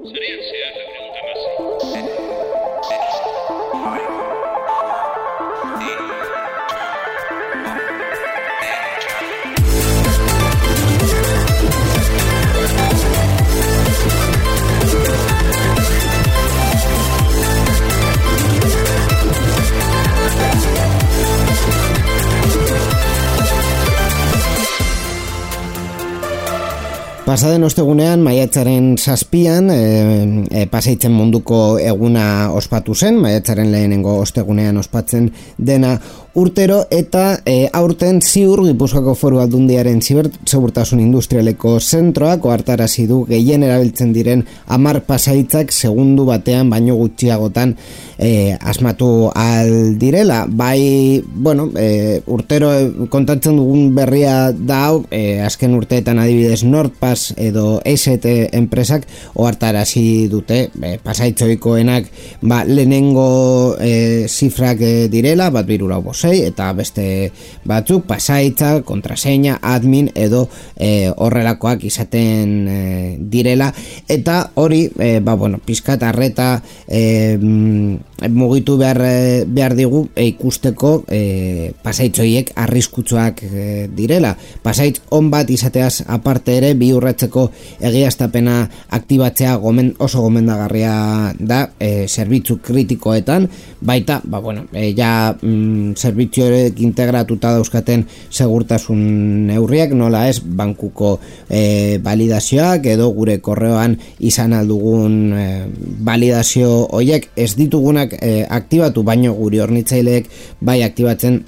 Sarean zehar 916. Pasaden ostegunean, maiatzaren 7an, Pasaitzen munduko eguna ospatu zen, maiatzaren lehenengo ostegunean ospatzen dena urtero, eta aurten ziur Gipuzkoako Foru Aldundiaren zibersegurtasun industrialeko zentroak ohartarazi du gehien erabiltzen diren 10 pasaitzak segundu batean baino gutxiagotan asmatu al direla. Bai, bueno, urtero kontatzen dugun berria da hau, azken urteetan adibidez NordPass edo EST enpresak ohartarazi dute pasaitzoikoenak lehenengo zifrak direla, bat 345 eta beste batzuk pasaitza, kontraseina, admin edo horrelakoak izaten direla, eta hori pizkat arreta mugitu behar digu ikusteko pasaitzoiek arriskutsuak direla. Pasaitz on bat izateaz aparte ere bi urratzeko egiaztapena aktibatzea oso gomendagarria da zerbitzu kritikoetan, baita zerbitzuek integratuta dauzkaten segurtasun neurriak, nola ez bankuko validazioak edo gure korreoan izan aldugun validazio hoiek ez ditugunak aktibatu, baino guri hornitzaileek bai aktibatzen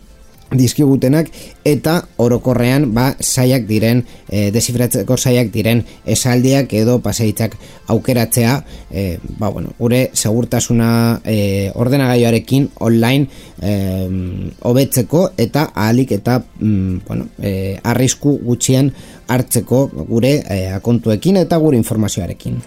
dizkigutenak, eta orokorrean saiak diren desifratzeko saiak diren esaldiak edo pasaitzak aukeratzea gure segurtasuna ordenagailuarekin online hobetzeko eta ahalik eta arrisku gutxien hartzeko gure akontuekin eta gure informazioarekin.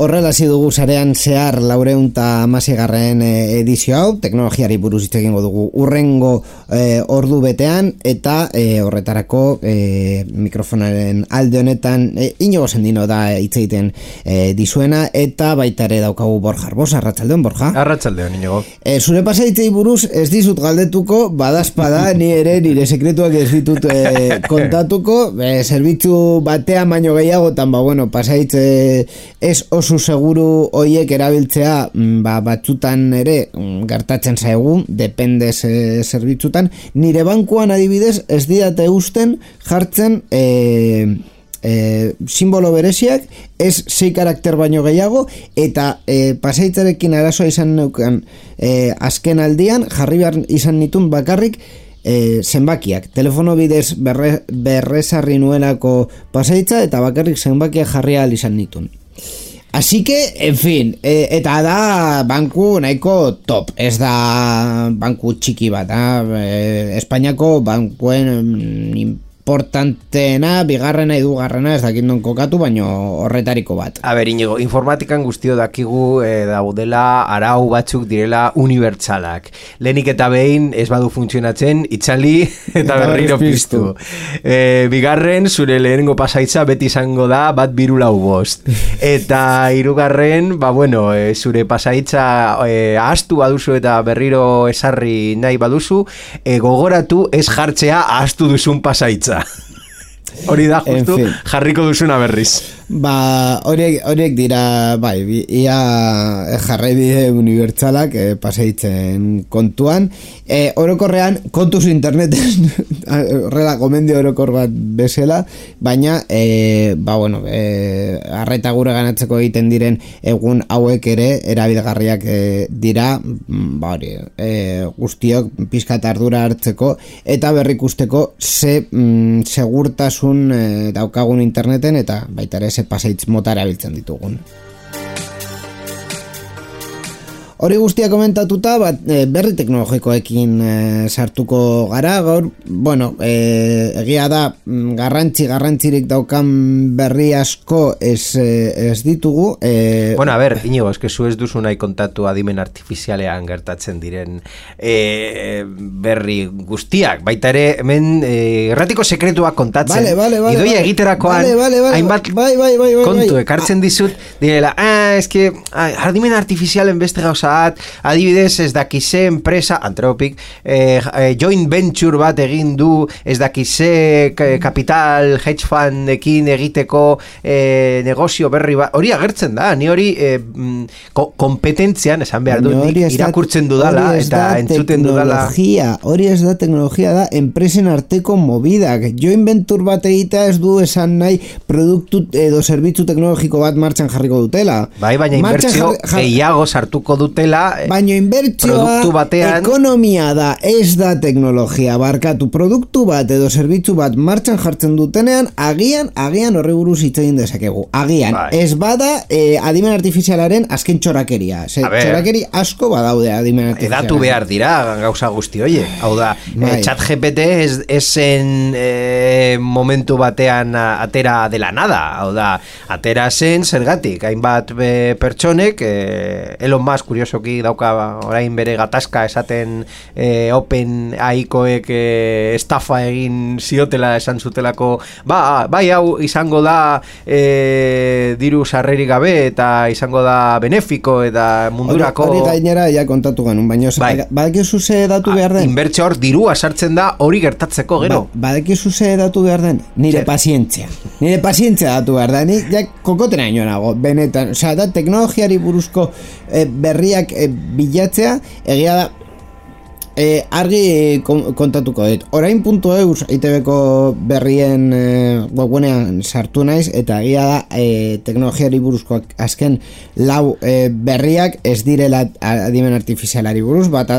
Horrela hasi dugu sarean zehar 416. Edizio hau, teknologiari buruz hitz egingo dugu urrengo ordu betean, eta horretarako mikrofonaren alde honetan Inigo Sendino da hitz egiten dizuena, eta baita ere daukagu Borja Arbosa. Arratsaldeon, Borja. Arratsaldeon, Inigo. Zure pasaitzei buruz ez dizut galdetuko, badazpada ni ere nire sekretuak ez ditut kontatuko, zerbitzu batean baino gehiagotan, pasaitze ez oso seguru hoiek erabiltzea batzutan ere gertatzen zaigu, depende zerbitzutan. Nire bankuan adibidez ez didate usten jartzen simbolo bereziak, ez 6 karakter baino gehiago, eta pasaitzarekin arazoa izan neukan azken aldian jarri behar izan nituen bakarrik zenbakiak, telefono bidez berrezarri nuelako pasaitza, eta bakarrik zenbakiak jarri ahal izan nituen. Así que, en fin, eta da banku nahiko top, ez da banku txiki bat, Espainiako bankuen importanteena, bigarrena, hirugarrena, ez dakit non kokatu, baino horretariko bat. A ber, Inigo, informatikan guztio dakigu daudela arau batzuk direla unibertsalak. Lehenik eta behin ez badu funtzionatzen, itzali eta berriro piztu. Bigarren, zure lehenengo pasaitza beti izango da bat 345. Eta hirugarren, zure pasaitza ahaztu baduzu eta berriro esarri nahi baduzu, gogoratu ez jartzea ahaztu duzun pasaitza. Hori da justu jarriko duzuna berriz. horiek dira, bai, ia jarraibide unibertsalak paseitzen kontuan. Orokorrean, kontuz interneten, horrela gomendio orokor bat bezala, baina, arreta gure ganatzeko egiten diren egun hauek ere erabilgarriak dira, guztiok pizkat ardura hartzeko eta berrikusteko ze segurtasun daukagun interneten eta baita ere ze paseitz mota erabiltzen ditugun. Hori guztia komentatuta, berri teknologikoekin sartuko gara, gaur, egia da garrantzirik daukan berri asko ez ditugu. Inigo, eske zu ez duzu nahi kontatu adimen artifizialean gertatzen diren berri guztiak, baita ere hemen erratiko sekretuak kontatzen, idoia egiterakoan, hainbat kontu ekartzen dizut, direla, eske adimen artifizialen beste gauza adibidez ez dakize enpresa Anthropic joint venture bat egin du ez dakize kapital hedge fundekin egiteko negozio berri bat, hori agertzen da ni hori kompetentzian esan behar dut irakurtzen dudala eta entzuten dudala hori ez da teknologia da enpresen arteko movidak, joint venture bat egitea ez du esan nahi produktu edo zerbitzu teknologiko bat martxan jarriko dutela baina inbertsio gehiago sartuko dute baina inbertsioa ekonomia da, ez da teknologia, barkatu produktu bat edo zerbitzu bat martxan jartzen dutenean, agian horri buruz hitz egin dezakegu, agian ez bada adimen artifizialaren azken txorakeria, txorakeri asko badaude adimen artifizialaren. Edatu behar dira gauza guzti oie, hau da ChatGPT esen momentu batean atera de la nada, hau da atera zen zergatik, hainbat pertsonek Elon Musk kuriosoki dauka orain bere gatazka esaten Open AI-koek estafa egin ziotela esan zutelako bai hau izango da diru sarrerik gabe eta izango da benefiko eta mundurako hori gainera ja kontatu genuen baina badakizu ze datu behar den inbertsio hor dirua sartzen da hori gertatzeko gero badakizu ze datu behar den nire pazientzia datu behar da ni ja kokotena inonago benetan, da teknologiari buruzko berriak bilatzea egia da argi kontatuko dut orain.eus ITBko berrien webgunean sartu naiz eta egia da teknologiari buruzko azken lau berriak ez direla adimen artifizialari buruz bat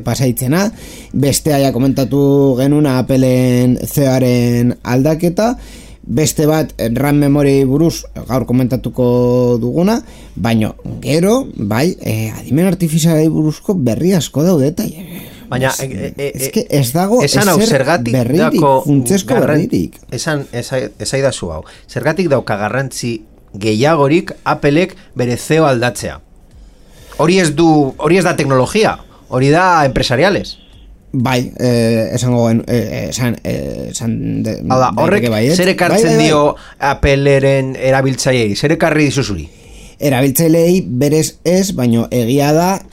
pasaitzena bestea ja komentatu genuna Appleen CEO-aren aldaketa beste bat RAM memory buruz gaur komentatuko duguna, baino gero, adimen artifizialari buruzko berri asko daude eta baina ez dago ezer berririk, funtsesko berririk. Esaidazu hau, zergatik dauka garrantzi gehiagorik Applek bere CEO aldatzea. Hori ez da teknologia, hori da empresariales. Esango horrek zer ekartzen dio Appleren erabiltzaileei, zer ekarri dizuzuri? Erabiltzaileei berez ez, baino egia da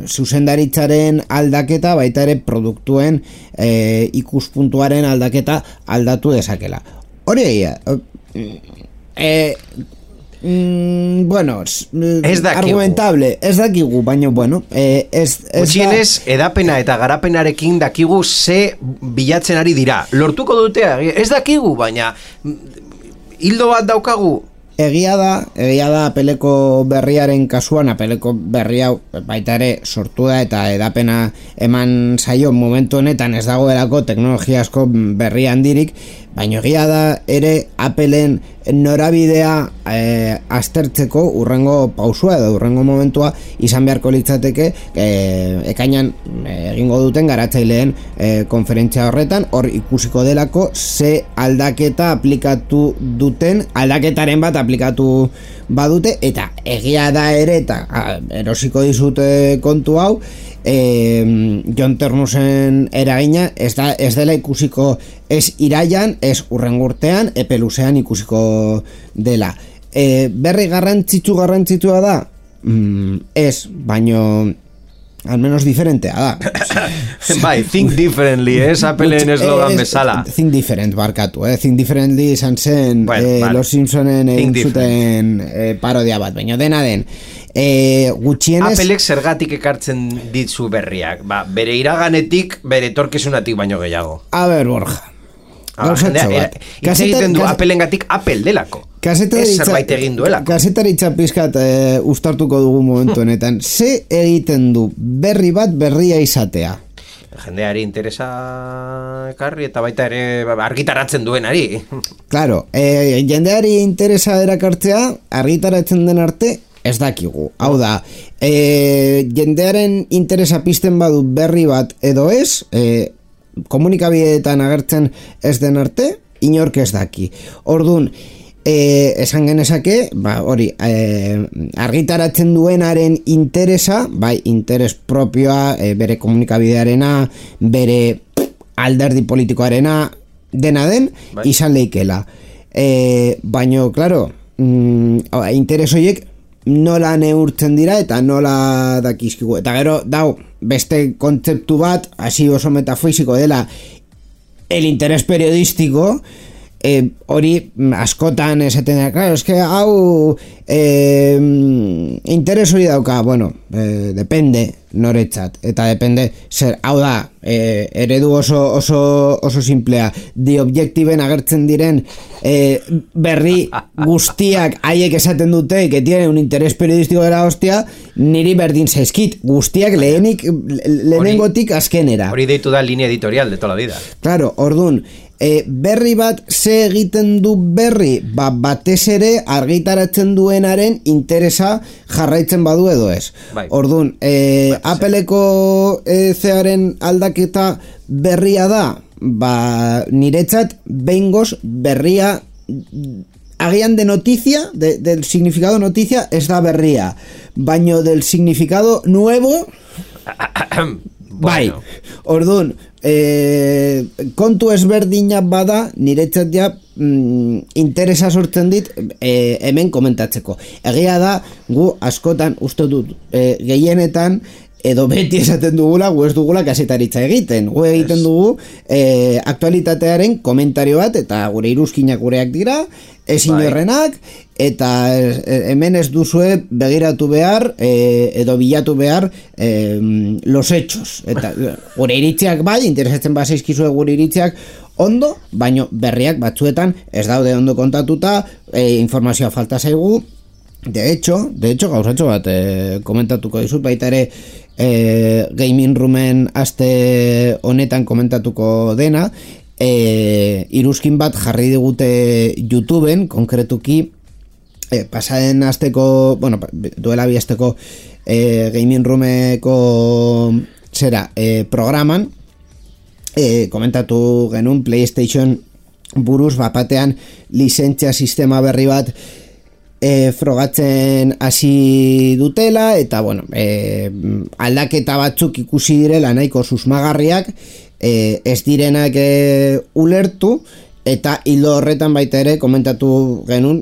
zuzendaritzaren aldaketa baita ere produktuen ikuspuntuaren aldaketa aldatu dezakela. Hori egia argumentable, ez dakigu, baina gutxienez, edapena eta garapenarekin dakigu ze bilatzen ari dira. Lortuko dute, ez dakigu, baina hildo bat daukagu. Egia da Appleko berriaren kasuan, Appleko berri hau baita ere sortu da eta edapena eman zaio momentu honetan ez dagoelako teknologia asko berri handirik, baina egia da ere Appleen norabidea aztertzeko urrengo pausua edo urrengo momentua izan beharko litzateke ekainan egingo duten garatzaileen konferentzia horretan, hor ikusiko delako ze aldaketa aplikatu duten, aldaketaren bat aplikatu badute, eta egia da ere eta erosiko dizute kontu hau Jon Ternusen eragina ez dela ikusiko ez iraian, ez urrengo urtean, epe luzean ikusiko dela. Berri garrantzitsua da? Ez, baino al menos diferentea da. Bai, think differently, Appleen eslogan bezala. Think different, barkatu, think differently izan zen Los Simpsonen egin zuten parodia bat, baina dena den. Gutxienez Applek zergatik ekartzen ditzu berriak, bere iraganetik, bere etorkizunatik baino gehiago. A ber, Borja, gauzatxo bat. Hitz egiten du Applengatik Apple delako. Ez zerbait egin duelako. Kasetaritza pizkat ustartuko dugu momentu honetan. Ze egiten du berri bat berria izatea? Jendeari interesa ekarri eta baita ere argitaratzen duenari. Claro, jendeari interesa erakartzea argitaratzen den arte ez dakigu. Hau da, jendearen interesa pizten badu berri bat edo ez, komunikabideetan agertzen ez den arte, inork ez daki. Orduan, esan genezake, hori, argitaratzen duenaren interesa, bai, interes propioa, bere komunikabidearena, bere alderdi politikoarena, dena den, izan leikela. Baino, klaro, interes horiek nola neurtzen dira eta nola dakizkigu. Eta gero, beste kontzeptu bat, hasi oso metafisiko dela, el interés periodístico, hori askotan esaten da, claro, es que hau interes hori dauka, bueno, depende noretzat, eta depende zer, hau da, eredu oso simplea, The Objectiven agertzen diren berri guztiak haiek esaten dute, que tiene un interés periodístico de la hostia, niri berdin zaizkit, guztiak lehenengotik azkenera. Hori deitu da línea editorial de toda la vida. Claro, ordun, berri bat ze egiten du berri, batez ere argitaratzen duenaren interesa jarraitzen badu edo ez. Orduan, Appleko zearen aldaketa berria da, niretzat behingoz berria agian de noticia, del significado noticia ez da berria, baino del significado nuevo bai, orduan kontu ezberdina bada niretzat ja interesa sortzen dit hemen komentatzeko. Egia da, gu askotan uste dut gehienetan edo beti esaten dugula, gu ez dugula kasetaritza egiten. Gu egiten dugu aktualitatearen komentario bat, eta gure iruzkinak gureak dira, ez inorrenak, eta hemen ez duzue begiratu behar edo bilatu behar los hechos. Eta gure iritziak bai, interesatzen bazaizkizue gure iritziak ondo, baino berriak batzuetan ez daude ondo kontatuta, informazioa falta zaigu. De hecho, gauzatxo bat komentatuko dizut, baita ere Gaming Roomen aste honetan komentatuko dena, iruzkin bat jarri digute YouTubeen, konkretuki pasaden asteko, bueno, duela bi asteko Gaming Roomeko programan komentatu genuen PlayStation buruz bapatean lizentzia sistema berri bat frogatzen hasi dutela, eta bueno, aldaketa batzuk ikusi direla nahiko susmagarriak, ez direnak ulertu, eta hildo horretan baita ere komentatu genuen,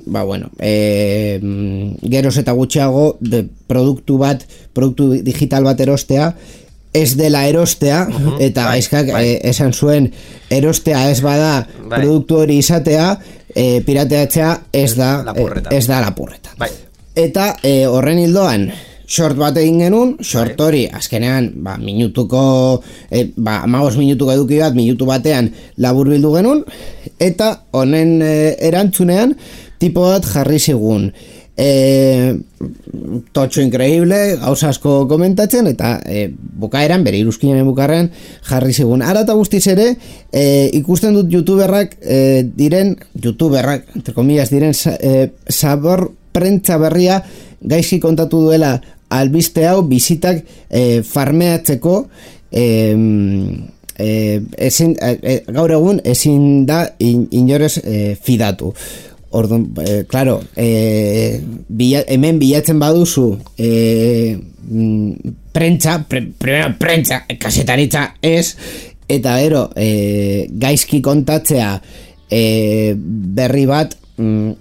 geroz eta gutxiago produktu digital bat erostea ez dela erostea, eta gaizkak esan zuen erostea ez bada produktu hori izatea, pirateatzea ez da lapurreta. Eta horren hildoan short bat egin genuen, short hori azkenean minutuko 15 minutuko eduki bat minutu batean laburbildu genuen, eta honen erantzunean tipo bat jarri zigun totxo increíble, gauza asko komentatzen, eta bukaeran, bere iruzkinaren bukaeran jarri zigun. Ara eta guztiz ere ikusten dut youtuberrak entre comillas diren sabor prentza berria gaizki kontatu duela albiste hau bizitak farmeatzeko, gaur egun ezin da inorez fidatu. Orduan, claro, hemen bilatzen baduzu prentza, kasetaritza ez, eta gero gaizki kontatzea berri bat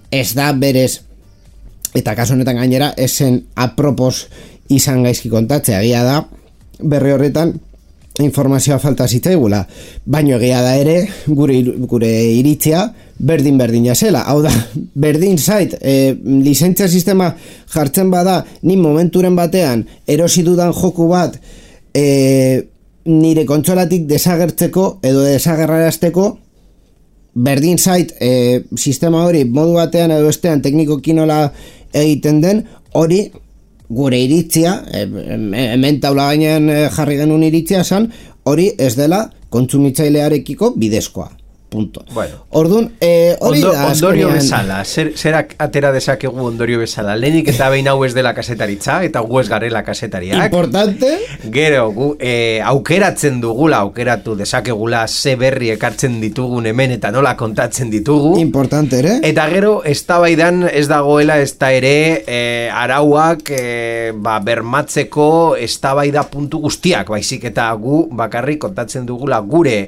ez da berez, eta kasu honetan gainera esen apropos izan gaizki kontatzea, egia da, berri horretan informazioa falta zitzaigula, baino egia da ere gure iritzia berdin zela, hau da, berdin zait, lizentzia sistema jartzen bada, ni momenturen batean erosi dudan joku bat nire kontsolatik desagertzeko edo desagerrarazteko, berdin zait sistema hori modu batean edo bestean teknikoki nola egiten den, hori gure iritzia, hemen taula gainean jarri genuen iritzia esan, hori ez dela kontsumitzailearekiko bidezkoa. Punto. Bueno. Orduan, hori da ondorio bezala, zerak atera dezakegu ondorio bezala, lehenik eta behin hau ez dela kasetaritza, eta gu ez garela kasetariak. Importante. Gero, gu aukeratzen dugula, aukeratu dezakegula ze berri ekartzen ditugun hemen eta nola kontatzen ditugu. Importante ere. Eta gero, eztabaidan ez dagoela ez da ere arauak bermatzeko eztabaida puntu guztiak, baizik eta gu bakarrik kontatzen dugula gure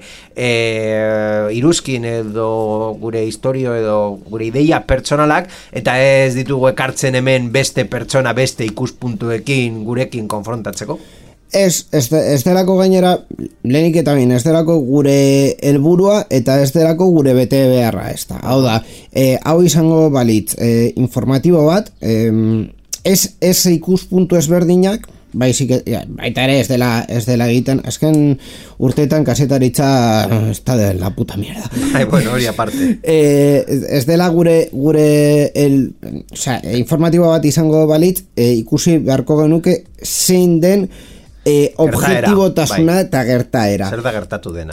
iruzkin edo gure historio edo gure ideia pertsonalak, eta ez ditugu ekartzen hemen beste pertsona, beste ikuspuntuekin gurekin konfrontatzeko. Ez delako gainera, lehenik eta bain, ez delako gure helburua eta ez delako gure bete beharra, ez da. Hau da, hau izango balitz informatibo bat, ez ikuspuntu ezberdinak, baizik, baita ere ez dela egiten, azken urteetan kasetaritza está de la puta mierda. Bueno, hori aparte. Ez dela gure informatibo bat izango balitz, ikusi beharko genuke zein den objektibotasuna eta gertaera. Zer da gertatu dena?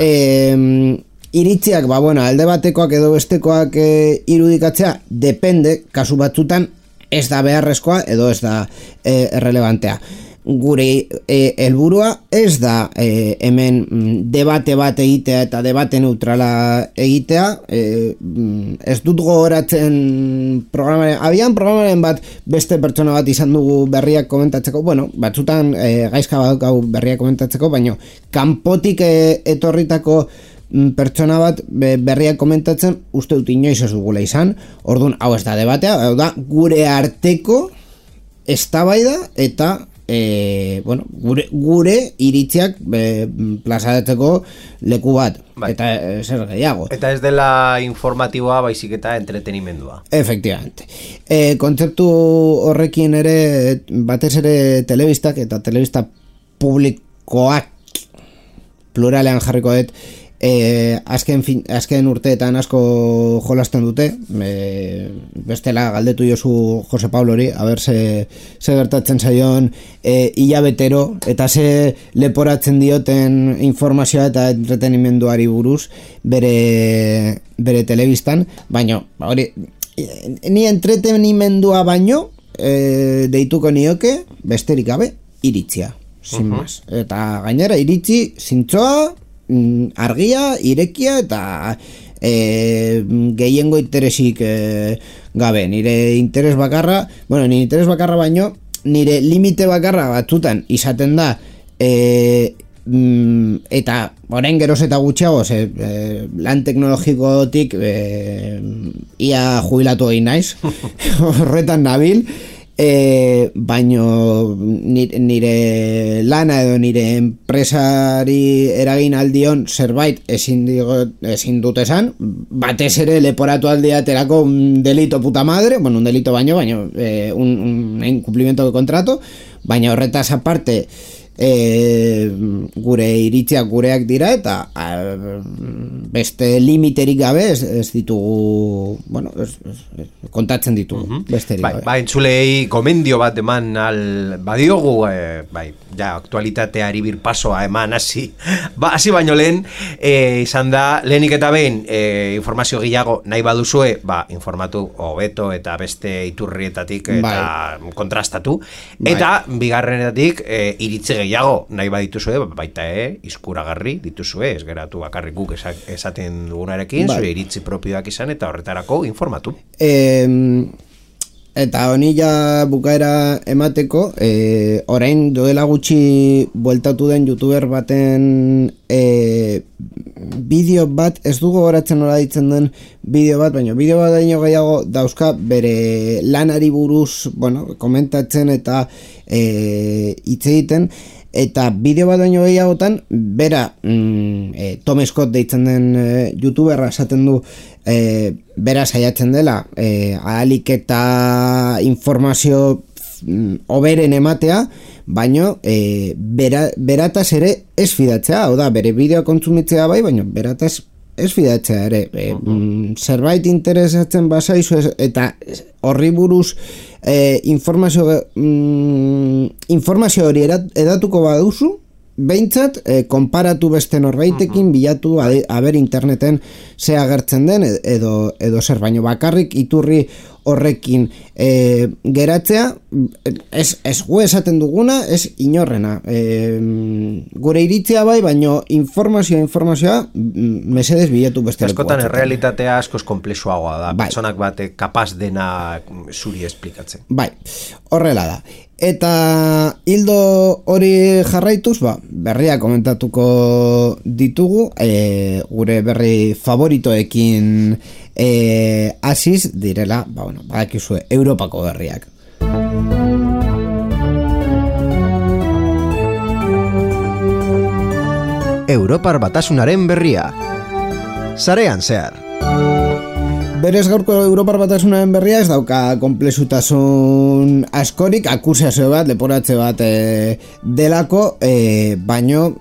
Iritziak, alde batekoak edo bestekoak irudikatzea, depende, kasu batzutan ez da beharrezkoa edo ez da errelevantea. Gure helburua ez da hemen debate bat egitea eta debate neutrala egitea, ez dut gogoratzen programaren bat beste pertsona bat izan dugu berriak komentatzeko, batzutan gaizka badaukagu berriak komentatzeko, baina kanpotik etorritako pertsona bat berriak komentatzen uste dut inoiz ez dugula izan. Orduan, hau ez da debatea, hau da gure arteko eztabaida eta gure iritziak plazaratzeko leku bat. Eta zer gehiago. Eta ez dela informatiboa, baizik eta entretenimendua. Efectivamente. Kontzeptu horrekin ere, batez ere telebistak eta telebista publikoak pluralean jarriko dut, azken urteetan asko jolasten dute, bestela galdetu jozu Jose Pablori, a ber ze gertatzen zaion hilabetero eta ze leporatzen dioten informazioa eta entretenimenduari buruz bere telebistan, baino hori ni entretenimendua baino deituko nioke besterik gabe iritzia, sin más. Eta gainera iritzi zintzoa, argia, irekia eta gehiengo interesik gabe. Nire interes bakarra, baino nire limite bakarra batzutan izaten da eta orain geroz eta gutxiago lan teknologikotik ia jubilatu egin naiz horretan nabil, baino nire lana edo nire enpresari eragin aldion zerbait ezin dut esan, batez ere leporatu aldiaterako un delito puta madre, un delito baino un incumplimiento de contrato, baina horretaz aparte gure iritziak gureak dira eta beste limiterik gabe ez ditugu kontatzen ditugu besterik gabe. Entzulei gomendio bat eman badiogu ja aktualitateari birpasoa eman hasi baino lehen izan da lehenik eta behin informazio gehiago nahi baduzue informatu hobeto eta beste iturrietatik eta kontrastatu eta bigarrenetatik iritzi gehiago nahi badituzue, baita izkuragarri dituzue, ez geratu bakarrik guk esaten dugunarekin, zure iritzi propioak izan eta horretarako informatu. Eta honi ja bukaera emateko, orain duela gutxi bueltatu den youtuber baten bideo bat, ez dugu goratzen nola ditzen den bideo bat, baina bideo bat daino gehiago dauzka bere lanari buruz komentatzen eta hitz egiten, eta bideo bat baino gehiagotan, bera Tom Scott deitzen den youtuberra esaten du, bera saiatzen dela ahalik eta informazio oberen ematea, baino berataz ere ez fidatzea, hau da, bere bideoa kontsumitzea bai, baino berataz ez fidatzea ere, zerbait interesatzen bazaizu eta horri buruz informazio hori edatuko baduzu, behintzat, konparatu beste norbaitekin, bilatu aber interneten ze agertzen den edo zer, baino bakarrik iturri horrekin geratzea, ez gu esaten duguna, ez inorrena. Gure iritzia bai, baino informazioa mesedez bilatu beste leku. Askotan errealitatea askoz komplexuagoa da, pertsonak bate kapaz dena zuri esplikatzen. Bai, horrela da. Eta hildo hori jarraituz, berria komentatuko ditugu, gure berri favoritoekin hasiz direla, badakizue, Europako berriak. Europar Batasunaren berria. Sarean zehar. Berez gaurko Europar Batasunaren berria ez dauka konplexutasun askorik, akusazio bat, leporatze bat delako, baino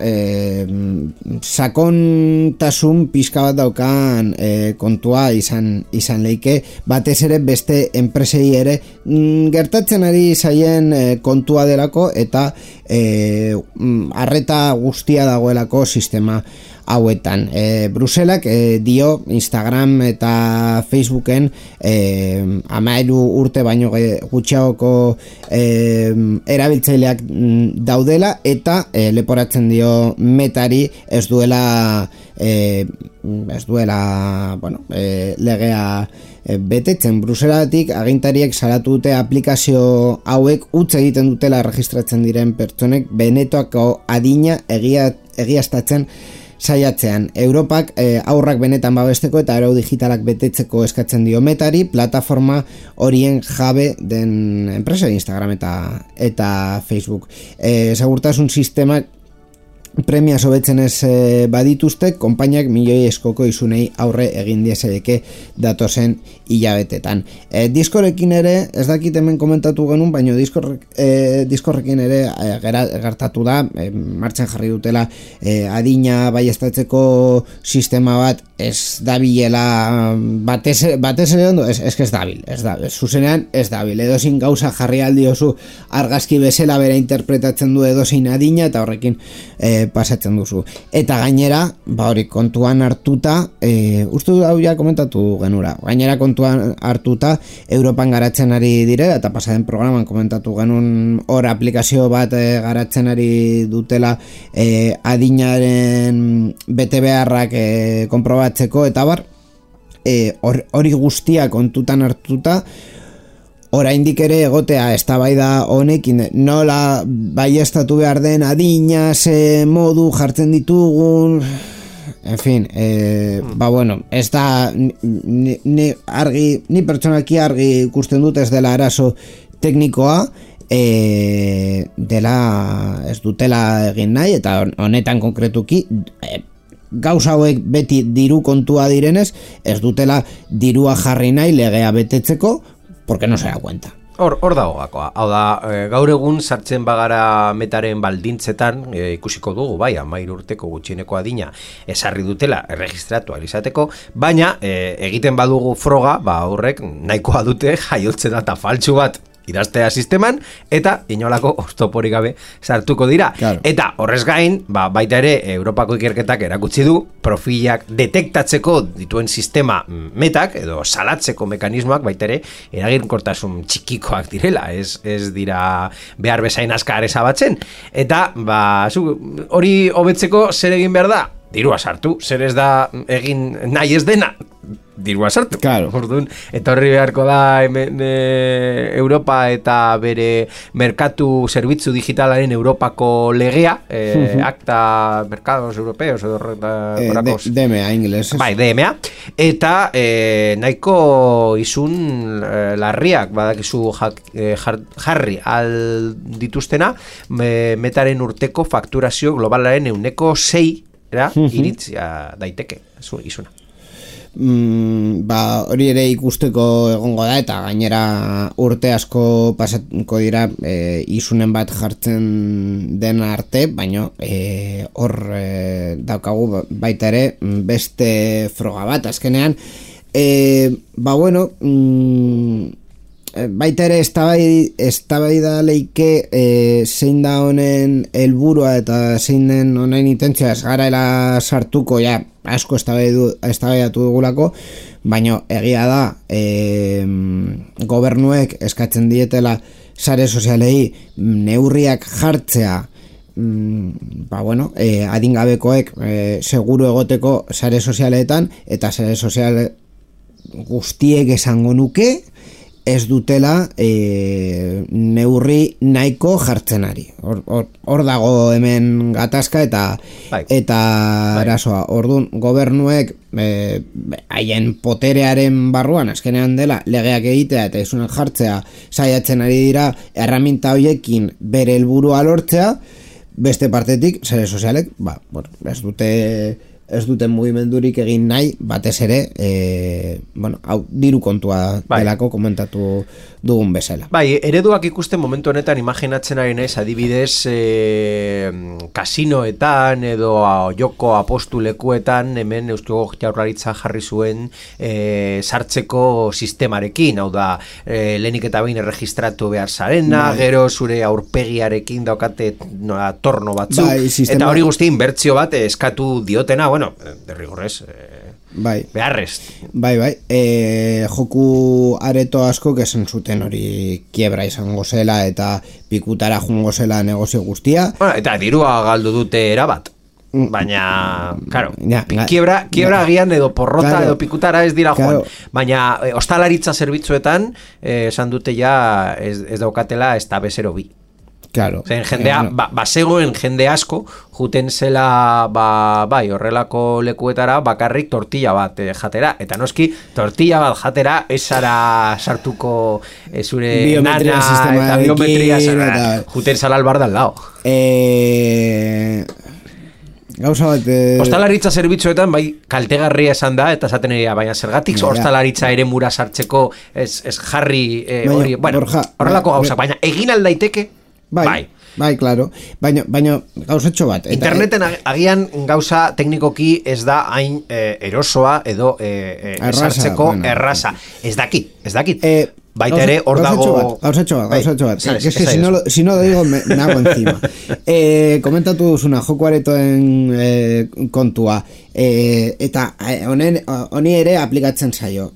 sakontasun pixka bat daukan kontua izan leike, batez ere beste enpresei ere gertatzen ari zaien kontua delako eta arreta guztia dagoelako sistema hauetan. Bruselak dio Instagram eta Facebooken 13 urte baino gutxiagoko erabiltzaileak daudela eta leporatzen dio Metari ez duela legea betetzen. Bruselatik agintariek salatu dute aplikazio hauek utz egiten dutela registratzen diren pertsonek benetako adina egiaztatzen saiatzean. Europak aurrak benetan babesteko eta arau digitalak betetzeko eskatzen dio Metari, plataforma horien jabe den enpresa, Instagram eta Facebook. Segurtasun sistemak premia sobetzen ez badituzte, konpainiak milioi eskoko izunei aurre egin diezedeke datozen hilabetetan. Discorrekin ere, ez dakit hemen komentatu genuen, baina Discorrekin ere gertatu da, martxan jarri dutela adina baiestatzeko sistema bat ez dabilela batez ere ondo, ez dabil, zuzenean ez dabil, edozin gauza jarri aldiozu argazki bezala bera interpretatzen du edozin adina eta horrekin pasatzen duzu. Eta gainera, hori kontuan hartuta, uste du hau ja komentatu genura, gainera kontuan hartuta Europan garatzen ari direla, eta pasaden programan komentatu genuen hor aplikazio bat garatzen ari dutela adinaren bete beharrak konprobatzeko, eta hori guztia kontutan hartuta, oraindik ere egotea eztabaida honekin nola baiestatu behar den adina, ze modu jartzen ditugun, en fin, ez da ni pertsonaki argi ikusten dut ez dela arazo teknikoa, dela ez dutela egin nahi, eta honetan konkretuki gauza hauek beti diru kontua direnez, ez dutela dirua jarri nahi legea betetzeko, porque no se da cuenta. Hor dago gakoa. Hau da, gaur egun sartzen bagara Metaren baldintzetan ikusiko dugu, bai, 13 urteko gutxieneko adina esarri dutela erregistratu izateko, baina egiten badugu froga, horrek nahikoa dute jaiotze data faltsu bat idaztea sisteman, eta inolako oztoporik gabe sartuko dira. Claro. Eta horrez gain, baita ere Europako ikerketak erakutsi du profilak detektatzeko dituen sistema Metak, edo salatzeko mekanismoak baita ere eraginkortasun txikikoak direla, ez dira behar bezain askar ezabatzen. Eta hori hobetzeko zer egin behar da? Dirua sartu, zer ez da egin nahi ez dena? dirua sartu. Claro. Orduan, etorri beharko da hemen Europa eta bere merkatu zerbitzu digitalaren Europako legea, Acta Mercados Europeos edo DMA inglés. Bai, DMA. Eta nahiko izun larriak badakizu jarri al dituztena metaren urteko fakturazio globalaren 6% iritzia daiteke izuna. Hori ere ikusteko egongo da eta gainera urte asko pasatuko dira isunen bat jartzen den arte, baina hor daukagu baita ere beste froga bat azkenean baita ere eztabaida leike zein da honen helburua eta zein den honen intentzioa ez garaela sartuko ja asko eztabaidatu dugulako, baina egia da gobernuek eskatzen dietela sare sozialei neurriak jartzea adingabekoek seguru egoteko sare sozialetan eta sare sozial guztiek esango nuke ez dutela neurri nahiko jartzen ari. Hor dago hemen gatazka eta arazoa. Orduan, gobernuek haien poterearen barruan azkenean dela legeak egitea eta isunak jartzea saiatzen ari dira erraminta hoiekin bere helburua lortzea, beste partetik, sare sozialek, ez duten mugimendurik egin nahi, batez ere, hau diru kontua delako komentatu dugun bezala. Bai, ereduak ikusten momentu honetan imaginatzen ari naiz, adibidez, kasinoetan edo joko apostulekuetan, hemen Eusko Jaurlaritza jarri zuen sartzeko sistemarekin, hau da, lehenik eta behin erregistratu behar zarena, gero zure aurpegiarekin daukate torno batzuk, eta hori guzti inbertsio bat eskatu diotena, derrigorrez beharrez. Bai, joku areto asko esan zuten hori kiebra izango zela eta pikutara jungo zela negozio guztia. Eta dirua galdu dute erabat. Baina, claro, kiebra agian edo porrota edo pikutara ez dira joan. Baina ostalaritza zerbitzuetan esan dute ja ez daukatela ez da bezero bi. Claro. Jendea, basegoen jende asko juten zela horrelako lekuetara bakarrik tortilla bat jatera, eta noski tortilla bat jatera ez zara sartuko zure biometria nana eta biometria juten zala albar dal lao. Gauza bat ostalaritza zerbitzuetan kaltegarria esan da eta esaten egia, baina zergatik ostalaritza ere mura sartzeko ez jarri hori, horrelako gauza, baina egin aldaiteke. Bai, claro. Baina gauzatxo bat. Interneten agian gauza teknikoki ez da hain erosoa edo sartzeko erraza. Ez dakit. Baita ere, hor dago... Gauzatxo bat. Si no lo digo, me hago encima. Komentatu duzuna, joko aretoen kontua. Eta honi ere aplikatzen zaio.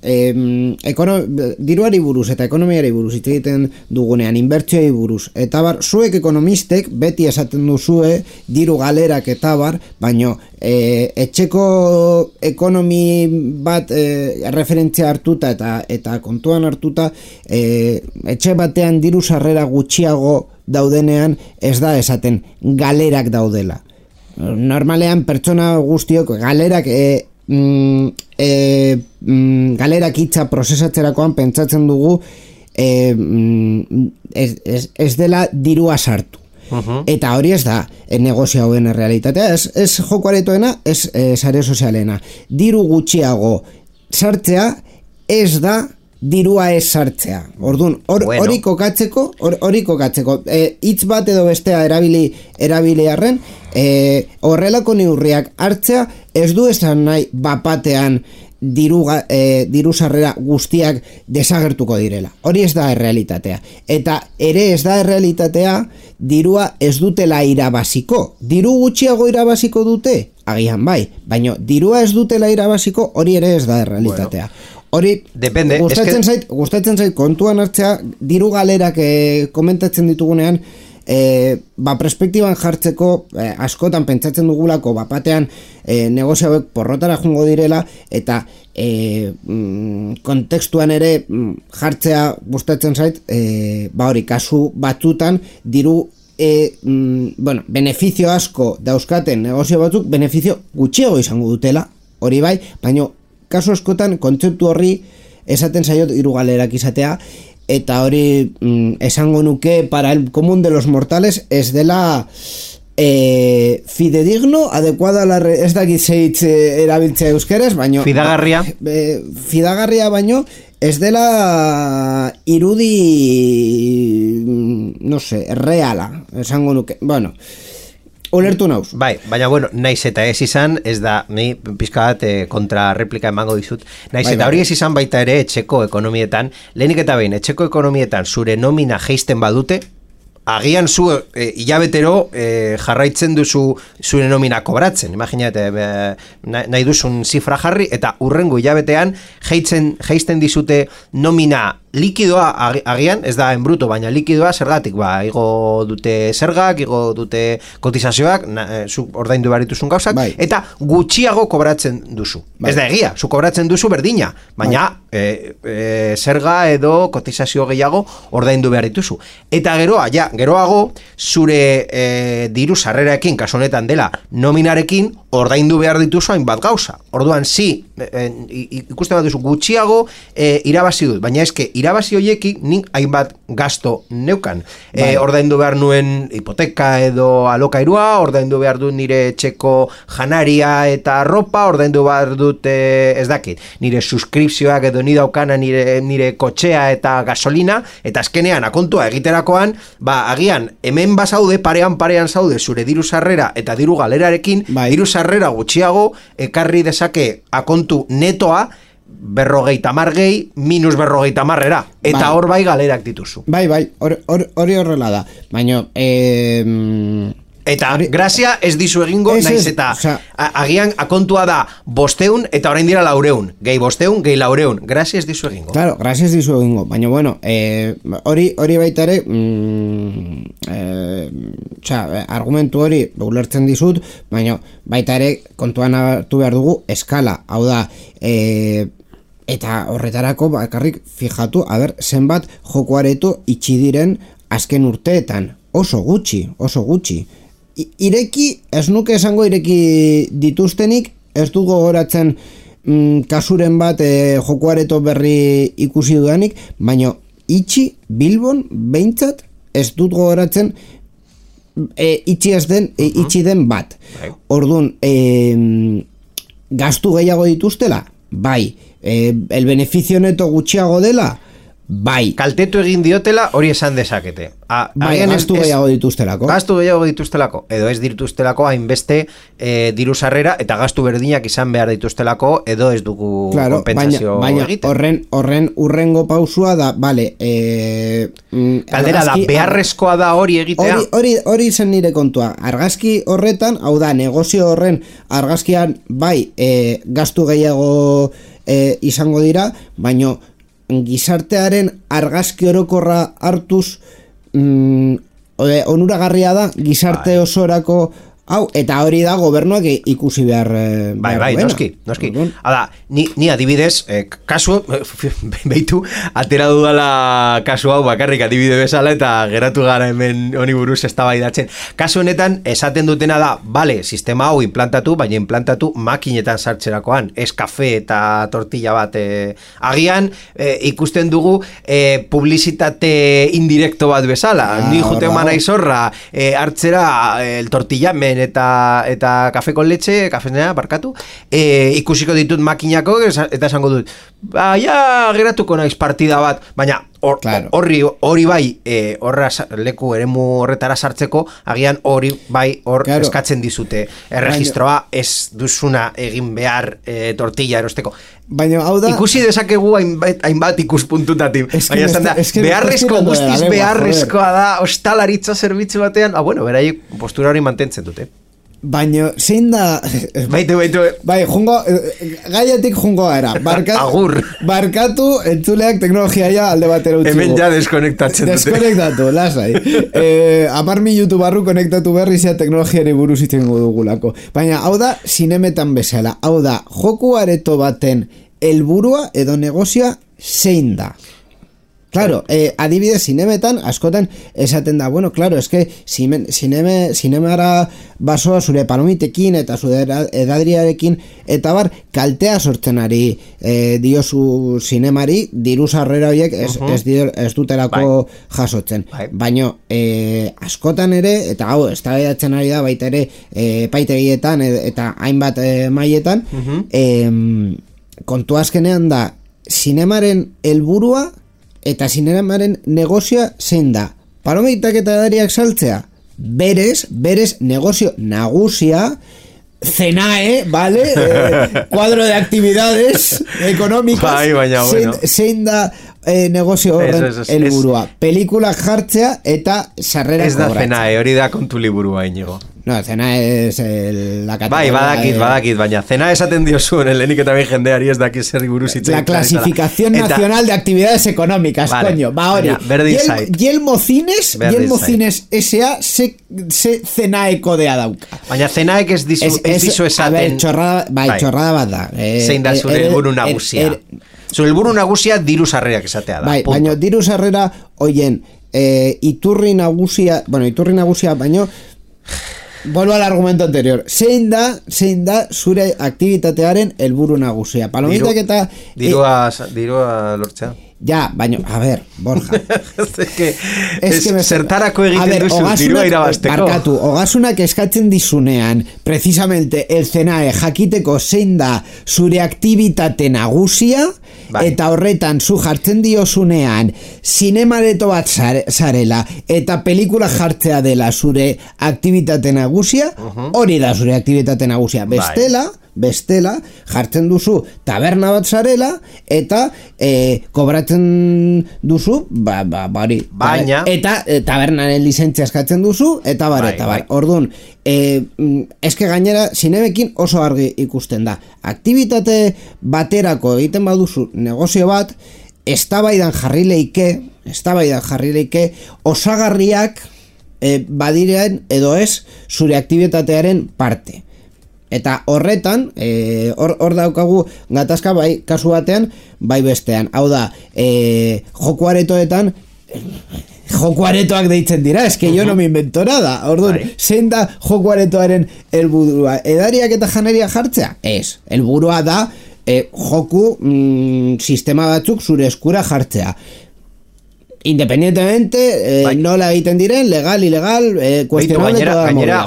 Diruari buruz eta ekonomiari buruz hitz egiten dugunean, inbertsioei buruz. Eta zuek ekonomistek beti esaten duzue diru galerak eta baino etxeko ekonomi bat referentzia hartuta eta kontuan hartuta etxe batean diru sarrera gutxiago daudenean ez da esaten galerak daudela. Normalean pertsona guztiok galerak galerak hitza prozesatzerakoan pentsatzen dugu ez dela dirua sartu. Eta hori ez da negozio hauen realitatea, ez joko aretoena, ez sare sozialena. Diru gutxiago sartzea ez da dirua ez sartzea. Orduan, hori kokatzeko, hitz bat edo bestea erabili arren, horrelako neurriak hartzea ez du esan nahi bapatean diru sarrera guztiak desagertuko direla. Hori ez da errealitatea. Eta ere ez da errealitatea dirua ez dutela irabaziko. Diru gutxiago irabaziko dute? Agian bai. Baina dirua ez dutela irabaziko, hori ere ez da errealitatea. Hori, gustatzen zait kontuan hartzea diru galerak komentatzen ditugunean perspektiban jartzeko askotan pentsatzen dugulako batean negozio hauek porrotara jungo direla eta kontekstuan ere jartzea gustatzen zait hori kasu batzutan diru benefizio asko dauzkaten negozio batzuk benefizio gutxiago izango dutela hori bai, baina kasu askotan kontzeptu horri esaten zaio hiru galerak izatea eta hori esango nuke para el común de los mortales ez dela fidedigno, adecuada ez dakit zeitz erabiltzea euskeraz, baino fidagarria baino ez dela irudi no sé, reala esango nuke, bueno ulertu nauz. Bai, baina bueno, naiz eta ez izan, ez da, ni pizka bat kontra replika emango dizut, naiz eta hori ez izan baita ere etxeko ekonomietan, lehenik eta behin, etxeko ekonomietan zure nomina geisten badute, agian zu hilabetero jarraitzen duzu zure nomina kobratzen, imaginate nahi duzun zifra jarri eta urrengo hilabetean geisten dizute nomina likidoa agian, ez da en bruto, baina likidoa zergatik, igo dute zergak, igo dute kotizazioak, zu ordaindu behar dituzun gauzak, eta gutxiago kobratzen duzu. Ez da egia, zu kobratzen duzu berdina, baina zerga edo kotizazio gehiago ordaindu behar dituzu. Eta geroago, zure diru sarreraekin, kasu honetan dela, nominarekin ordaindu behar dituzu hainbat gauza. Orduan, ikusten bat duzu gutxiago irabazi dut, baina eske irabazi hoiekin nik hainbat gasto neukan. Ordaindu behar nuen hipoteka edo alokairua, ordaindu behar dut nire etxeko janaria eta ropa, ordaindu behar dut ez dakit, nire suskripzioak edo ni daukana nire kotxea eta gasolina, eta azkenean akontua egiterakoan, agian hemen bazaude, parean zaude zure diru sarrera eta diru galerarekin, diru sarrera gutxiago ekarri dezake akontu netoa 50 gehi minus 50 eta hor galerak dituzu. Bai, hori horrela da. Baina eta grazia ez dizu egingo, naiz eta agian akontua da 500 eta orain dira 400, gehi 500, gehi 400, grazia ez dizu egingo. Claro, grazia ez dizu egingo, baina bueno, hori baita ere argumentu hori ulertzen dizut, baina baita ere kontuan hartu behar dugu eskala, hau da eta horretarako bakarrik fijatu, zenbat joko areto itxi diren azken urteetan, oso gutxi ireki, ez nuke esango ireki dituztenik, ez du gogoratzen kasuren bat joko areto berri ikusi dudanik, baina itxi Bilbon behintzat ez dut gogoratzen itxi den bat. Orduan gastu gehiago dituztela? Bai. El beneficio neto gutxiago dela? Bai. Kaltetu egin diotela hori esan dezakete. Gastu gehiago dituztelako. Gastu gehiago dituztelako. Edo ez dituztelako hainbeste diru sarrera eta gastu berdinak izan behar dituztelako edo ez dugu kompensazio egiten. Baina horren urrengo pausua da, kaldera da, beharrezkoa da hori egitea. Hori zen nire kontua. Argazki horretan, hau da, negozio horren argazkian gastu gehiago izango dira, baina gizartearen argazki orokorra hartuz onuragarria da gizarte osorako hau, eta hori da gobernuak ikusi behar noski. Hala, ni adibidez, kasu, behitu, atera dudala kasu hau bakarrik adibide bezala eta geratu gara hemen honi buruz eztabaidatzen. Kasu honetan, esaten dutena da, sistema hau implantatu, baina implantatu makinetan sartzerakoan, ez kafe eta tortilla bat. Agian, ikusten dugu publizitate indirekto bat bezala. Ni jute mana izorra, hartzera el tortillamen eta kafe con leche, kafenea, barkatu, ikusiko ditut makinako, eta esango dut, geratuko naiz partida bat, baina hori bai, leku eremu horretara sartzeko, agian hori bai eskatzen dizute erregistroa, ez duzuna egin behar tortilla erosteko. Baina hau da, ikusi dezakegu hainbat ikuspuntutatik, baina esan da, guztiz beharrezkoa da hostalaritza zerbitzu batean, beraiek postura hori mantentzen dute. Baina, zein da... Baitu. Bai, gaiatik jungo gara. Agur. Barkatu, entzuleak teknologiaia alde batera utzigu. Hemen ja deskonektatzen dute. Deskonektatu, lasai. 10 minutu barru konektatu berri zea teknologiari buruz itzengo dugulako. Baina, hau da, zinemetan bezala. Hau da, joku areto baten helburua edo negozioa zein da. Claro, adibidez, zinemetan, askotan esaten da, bueno, claro, eske zinemara basoa zure palomitekin eta zure edadriarekin eta bar, kaltea sortzen ari diozu zinemari, diru sarrera horiek ez dutelako jasotzen. Baina, askotan ere, eta hau, eztabaidatzen ari da baita ere epaitegietan eta hainbat mailetan, kontu azkenean da, zinemaren helburua eta zinemaren negozioa zein da. Palomitak eta edariak saltzea, berez negozio nagusia, CENAE, ¿vale? Cuadro de actividades económicas. Bai, baina, bueno. Zein da negozio horren helburua. Pelikulak jartzea eta sarrera kobratzea. Ez da CENAE, hori da kontu liburua, Iñigo. No, CENAE es la categoría... Bai, badakit, baina CENAE esaten diozuen, lehenik eta behin jendeari ez daki zer buruz itzen. La clasificación nacional de actividades económicas, vale, coño, va hori. Yelmo Cines S.A. se CENAE kodea dauka. Baina CENAEk ez dizu esaten... A ver, txorrada bat da. Zein da zure helburu nagusia. Zure helburu nagusia diru sarrerak esatea da. Bai, baina diru sarrera, oien, iturri nagusia, baino... Vuelvo al argumento anterior. Zein da zure aktivitatearen helburu nagusia. Palomitak eta... Dirua lortzea. Ja, baina, a ver, Borja. Es que zertarako egiten duzu, dirua irabazteko. Barkatu, ogasunak eskatzen dizunean, precisamente, el CENAE jakiteko zein da zure aktivitate nagusia, eta horretan zu jartzen diozunean zinemareto bat zarela eta pelikula jartzea dela zure aktivitate nagusia, hori da zure aktivitate nagusia. Bestela, jartzen duzu taberna bat zarela eta kobratzen duzu baina eta tabernaren lizentzia eskatzen duzu eta bar. Orduan, eske gainera zinemekin oso argi ikusten da. Aktivitate baterako egiten baduzu negozio bat, eztabaidan jarri leike osagarriak badirean edo ez zure aktibitatearen parte. Eta horretan, hor daukagu gatazka bai kasu batean, bai bestean. Hau da, joku aretoetan, joku aretoak deitzen dira, eske jo no me invento nada. Orduan, zein da joku aretoaren helburua? Edariak eta janaria jartzea? Ez, helburua da joku sistema batzuk zure eskura jartzea. Independientemente, nola egiten diren, legal, ilegal, cuestionable, gainera,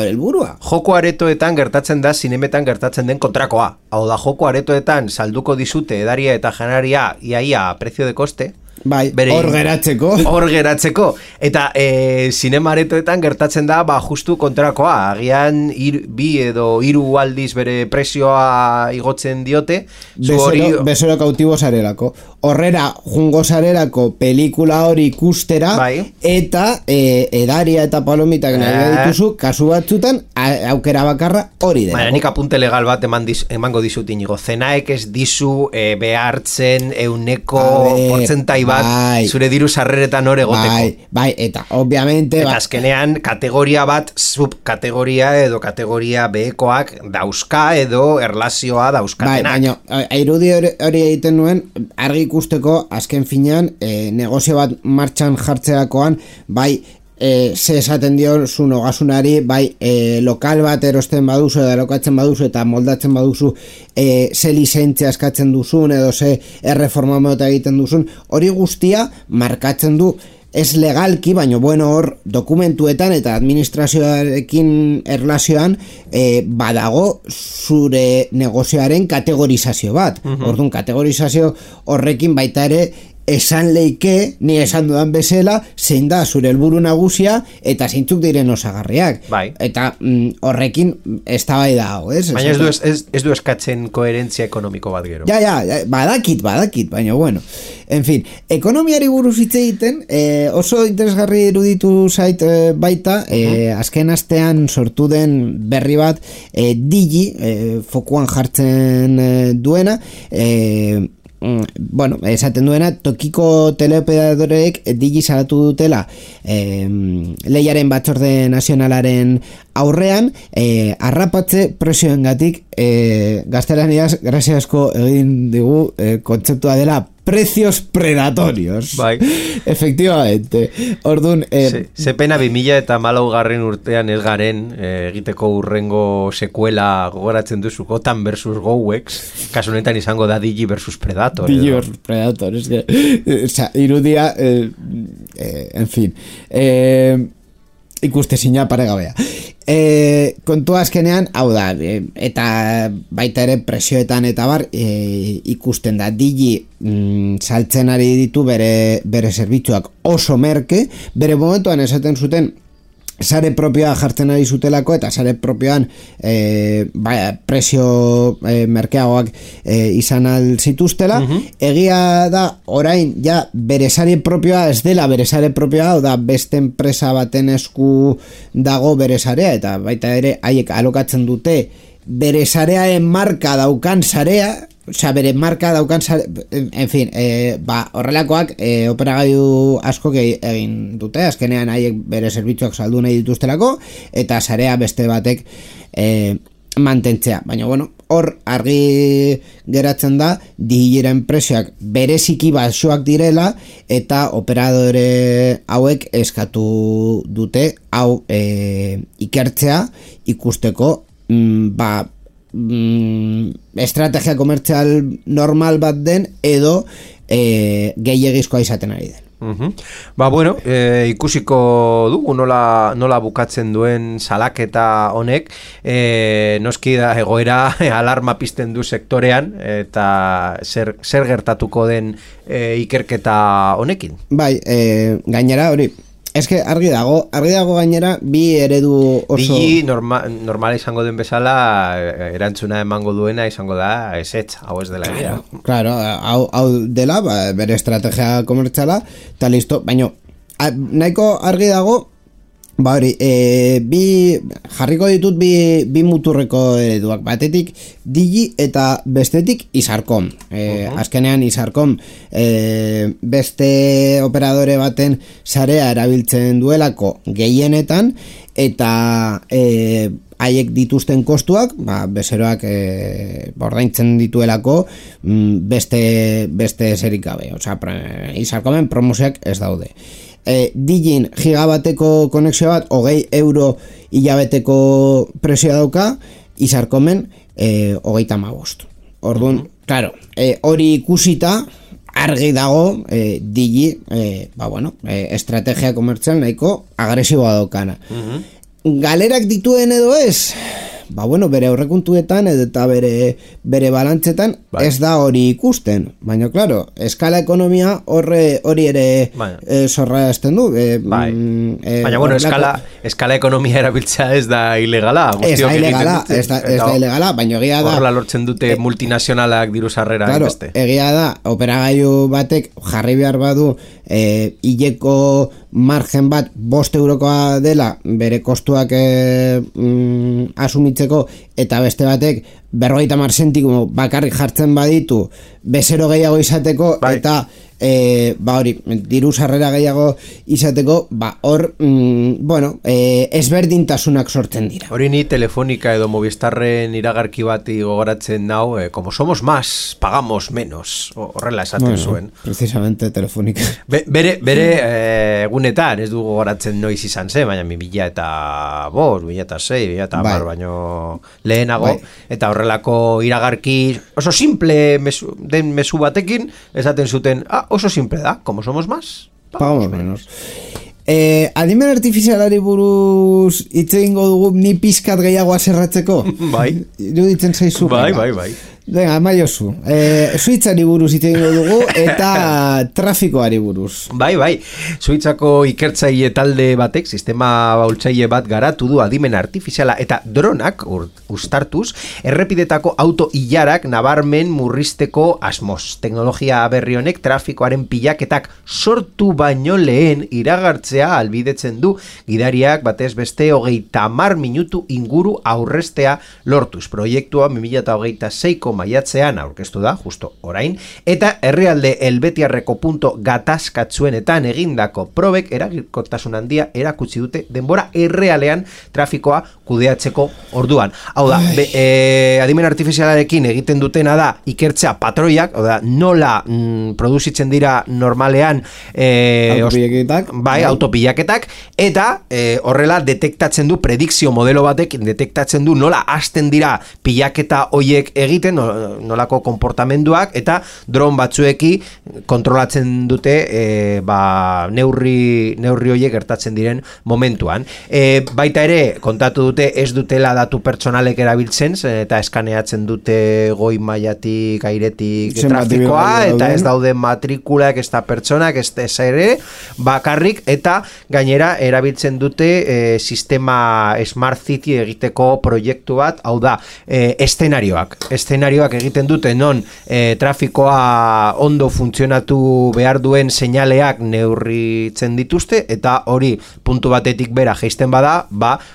helburua. Joko aretoetan gertatzen da, zinemetan gertatzen den kontrakoa. Hau da, joko aretoetan salduko dizute edaria eta janaria iaia prezio de koste. Bai, hor geratzeko. Eta zinemaretoetan gertatzen da, justu kontrakoa. Agian bi edo 3 aldiz bere prezioa igotzen diote. Bezero kautibo zarelako. Horrera, jungo zarelako pelikula hori ikustera, eta edaria eta palomitak nahi dituzu, kasu batzutan, aukera bakarra hori dela. Nik apunte legal bat emango dizut, Iñigo. CENAEk ez dizu behartzen euneko portzentai bat zure diru sarreretan hor egoteko. Bai, eta obviamente... Eta azkenean kategoria bat, subkategoria edo kategoria B-koak dauzka edo erlazioa dauzkatenak. Baina, irudi hori egiten nuen, argi ikusteko, azken finean, negozio bat martxan jartzeakoan, bai, ze esaten dio zun ogasunari, bai, lokal bat erosten baduzu edo erokatzen baduzu eta moldatzen baduzu ze lizentzia eskatzen duzun edo ze erreforma mota egiten duzun, hori guztia markatzen du ez legalki, baina bueno, hor dokumentuetan eta administrazioarekin erlazioan badago zure negozioaren kategorizazio bat. Orduan, kategorizazio horrekin baita ere esan leike, ni esan dudan bezala, zein da zure helburu nagusia eta zeintzuk diren osagarriak. Bai. Eta horrekin eztabaida hau, ez? Baina ez du eskatzen koherentzia ekonomiko bat gero. Ja, badakit, baina bueno. En fin, ekonomiari buruz hitz egiten, oso interesgarri iruditu zait baita, azken astean sortu den berri bat, Digi, fokuan jartzen duena, bueno, esaten duena, tokiko teleoperadoreek Digi salatu dutela lehiaren batzorde nazionalaren aurrean, arrapatze presioengatik, gaztelaniaz graziasko egin digu kontzeptua dela precios predatorios. Bai. Efectivamente. Orduan... Ze pena 2014 urtean ez garen egiteko urrengo sekuela gogoratzen duzu Gotham versus Gowex, kasu honetan izango da Digi versus Predator. Digi versus Predator, es que irudia, en fin, ikustezina paregabea. Kontua azkenean, hau da, eta baita ere presioetan eta bar, ikusten da Digi saltzen ari ditu bere zerbitzuak oso merke, bere momentuan esaten zuten sare propioa jartzen ari zutelako eta sare propioan presio merkeagoak izan alzituztela. Egia da orain ja bere sare propioa ez dela bere sare propioa, da beste enpresa baten esku dago bere sarea, eta baita ere haiek alokatzen dute bere sarearen marka daukan sarea, osea, bere marka daukan en fin, horrelakoak operagailu asko egin dute, azkenean haiek bere zerbitzuak saldu nahi dituztelako, eta sarea beste batek mantentzea. Baina, bueno, hor argi geratzen da Digiren presioak bereziki baxoak direla, eta operadore hauek eskatu dute hau ikertzea ikusteko estrategia komertzial normal bat den edo gehiegizkoa izaten ari den. Bueno, ikusiko dugu nola bukatzen duen salaketa honek, noski da egoera alarma pizten du sektorean, eta zer gertatuko den ikerketa honekin. Bai, gainera hori, eske argi dago gainera bi eredu oso... Digi normal izango den bezala erantzuna emango duena izango da ezetz, hau ez dela egia. Claro, hau dela, bere estrategia komertziala, eta listo, baina nahiko argi dago, hori, jarriko ditut bi muturreko ereduak, batetik Digi eta bestetik Isarcom. Azkenean Isarcom beste operadore baten sarea erabiltzen duelako gehienetan, eta haiek dituzten kostuak, bezeroak ordaintzen dituelako beste zerik gabe. Osea, Isarcomen promozioak ez daude. Digin gigabateko konexio bat 20 euro hilabeteko presioa dauka, Isarcomen 35. Orduan, claro, hori ikusita argi dago Digi estrategia komertzial nahiko agresiboa daukana. Galerak dituen edo ez? Bere aurrekontuetan eta bere balantzetan ez da hori ikusten. Baina, claro, eskala ekonomia hori ere zorra esten du. Baina, bueno, eskala ekonomia erabiltzea ez da ilegala. Ez da ilegala, baina egia da... Horrela lortzen dute multinazionalak diru sarrera. Claro, egia da, operagailu batek jarri behar badu hileko margen bat 5 eurokoa dela bere kostuak asumitzeko, eta beste batek 50 zentimo bakarrik jartzen baditu bezero gehiago izateko, eta hori, diru sarrera gehiago izateko, hor ezberdintasunak sortzen dira. Hori ni Telefonica edo Movistarren iragarki bati gogoratzen nau, como somos más, pagamos menos, horrela esaten zuen. Precisamente Telefonica. Bere egunetan, ez du gogoratzen noiz izan zen, baina 2005, 2006, 2010, baino lehenago, eta horrelako iragarki oso simple den mezu batekin, esaten zuten, oso simple da, como somos más, pagamos menos. Adimen artifizialari buruz hitz egingo dugu ni pizkat gehiago aserratzeko. Bai. Iruditzen zaizu. Bai. Venga, maiozu. Suitzari buruz hitz egingo dugu eta trafikoari buruz. Bai. Suitzako ikertzaile talde batek sistema baultzaile bat garatu du adimen artifiziala eta dronak uztartuz errepidetako auto ilarak nabarmen murrizteko asmoz. Teknologia berri honek trafikoaren pilaketak sortu baino lehen iragartzea albidetzen du gidariak batez beste 30 minutu inguru aurrestea lortuz. Proiektua 2026ko maiatzean aurkeztu da, justo orain, eta herrialde helbetiarreko punto gatazkatzuenetan egindako probek eraginkortasun handia erakutsi dute denbora errealean trafikoa kudeatzeko orduan. Hau da, adimen artifizialarekin egiten dutena da ikertzea patroiak, hau da, nola produzitzen dira normalean autopilaketak, eta horrela detektatzen du predikzio modelo batek, detektatzen du nola hasten dira pilaketa hoiek egiten, nolako konportamenduak, eta dron batzueki kontrolatzen dute neurri hoiek gertatzen diren momentuan. Baita ere, kontatu dute ez dutela datu pertsonalek erabiltzen, eta eskaneatzen dute goi mailatik, airetik trafikoa, eta ez daude matrikulak, ez da pertsonak, ez ere, bakarrik, eta gainera erabiltzen dute sistema Smart City egiteko proiektu bat, hau da, eszenarioak egiten dute non trafikoa ondo funtzionatu behar duen seinaleak neurritzen dituzte, eta hori puntu batetik bera jaisten bada,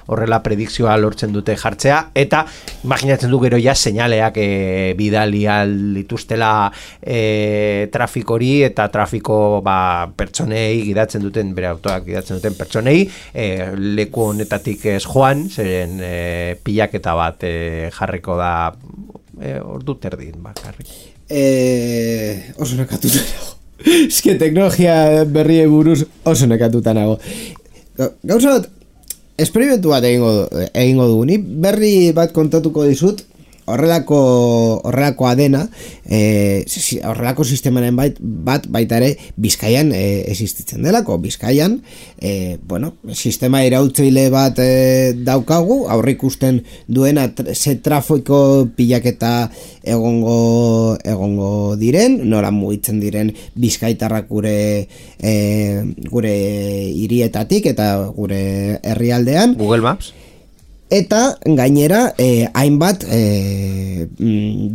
horrela predikzioa lortzen dute jartzea, eta imaginatzen du gero ja seinaleak bidali dituztela trafikori, eta trafiko pertsonei gidatzen duten, bere autoak gidatzen duten pertsonei, leku honetatik ez joan, zeren pilaketa bat jarriko da ordu terdin bakarrik. Oso nekatuta nago. Eske teknologia berri buruz oso nekatuta nago. Gauza bat, esperimentu bat egingo dugu. Ni berri bat kontatuko dizut, horrelakoa dena, horrelako sistemaren bat baita ere Bizkaian existitzen delako. Bizkaian, sistema iraultzaile bat daukagu, aurreikusten duena ze trafiko pilaketa egongo diren, nora mugitzen diren bizkaitarrak gure hirietatik eta gure herrialdean. Google Maps. Eta gainera hainbat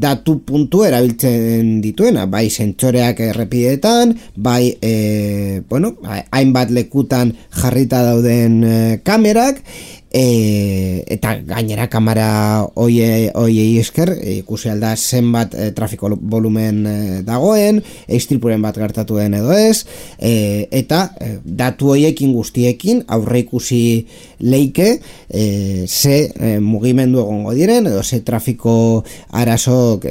datu puntu erabiltzen dituena, bai sentsoreak errepideetan, bai hainbat lekutan jarrita dauden kamerak, eta gainera kamera hoiei esker ikusi alda zenbat trafiko volumen dagoen, istripuren bat gertatu den edo ez, eta datu hoiekin guztiekin aurre ikusi leike ze mugimendu egongo diren edo ze trafiko arazok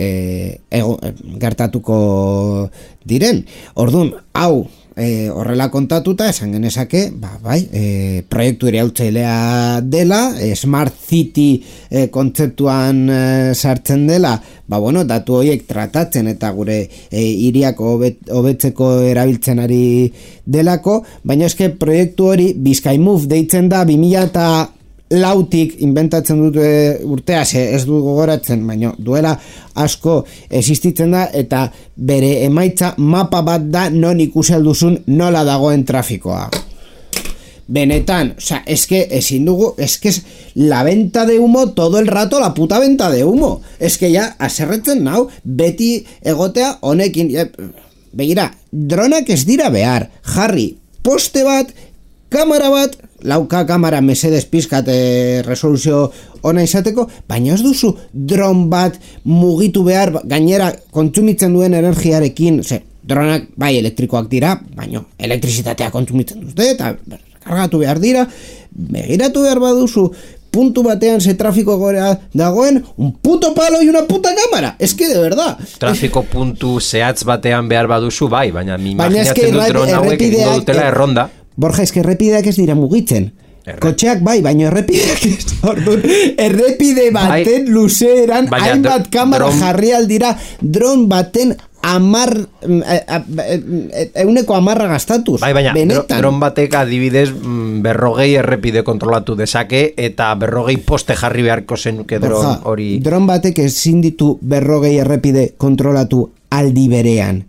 gertatuko diren. Orduan, hau horrela kontatuta esan genezake, proiektu iraultzailea dela, Smart City kontzeptuan sartzen dela, datu horiek tratatzen eta gure hiriak hobetzeko erabiltzen ari delako, baina eske proiektu hori BizkaiMove deitzen da 2004tik inventatzen dute urtea, ez du gogoratzen, baina duela asko existitzen da, eta bere emaitza mapa bat da non ikusi alduzun nola dagoen trafikoa. Benetan, eske ezin dugu, eske la venta de humo todo el rato, la puta venta de humo. Eske ja, aserretzen nau, beti egotea honekin, begira, dronak ez dira behar, jarri, poste bat, kamera bat, lauka kamera mesedez pizkat resoluzio ona izateko, baina ez duzu dron bat mugitu behar, gainera kontsumitzen duen energiarekin, dronak bai elektrikoak dira, baina elektrizitatea kontsumitzen dute, eta kargatu behar dira, begiratu behar baduzu, puntu batean ze trafiko gora dagoen, un puto palo y una puta cámara. Es que de verdad. Trafiko puntu zehatz batean behar baduzu, bai, baina mi imaginatzen dut dron hauek egingo dutela erronda. Borja, eske errepideak ez dira mugitzen. Kotxeak bai, baina errepideak ez. Errepide baten luzeeran hainbat kamera jarri aldira, dron baten euneko 10 gastatuz. Bai, baina, benetan. dron batek adibidez 40 errepide kontrolatu dezake, eta 40 poste jarri beharko zenuke dron hori. Dron batek ezin ditu 40 errepide kontrolatu aldi berean.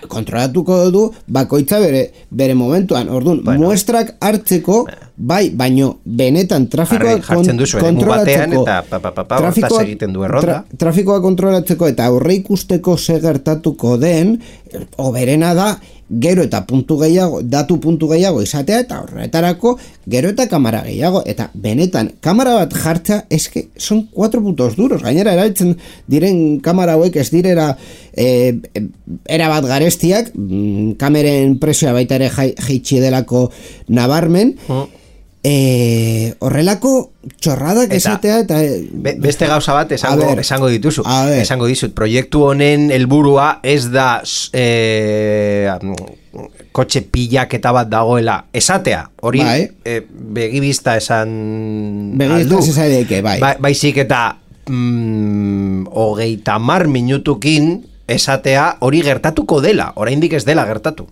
Kontrolatuko du bakoitza bere momentuan. Orduan, muestrak hartzeko, bai, baino benetan trafikoa kontrolatzeko, trafikoa kontrolatzeko eta aurre ikusteko ze gertatuko den, oberena da, gero eta datu puntu gehiago izatea, eta horretarako gero eta kamera gehiago, eta benetan kamera bat jartza eske son 4 puntos duros. Gainera erabiltzen diren kamera hauek ez direra erabat garestiak, kameren presioa baita ere jaitsi delako nabarmen, horrelako txorradak esatea eta beste gauza bat esango dituzu. Esango dizut, proiektu honen helburua ez da kotxe pilaketa bat dagoela esatea, hori begibista esan aldu. Baizik eta 30 minutukin esatea hori gertatuko dela, oraindik ez dela gertatu.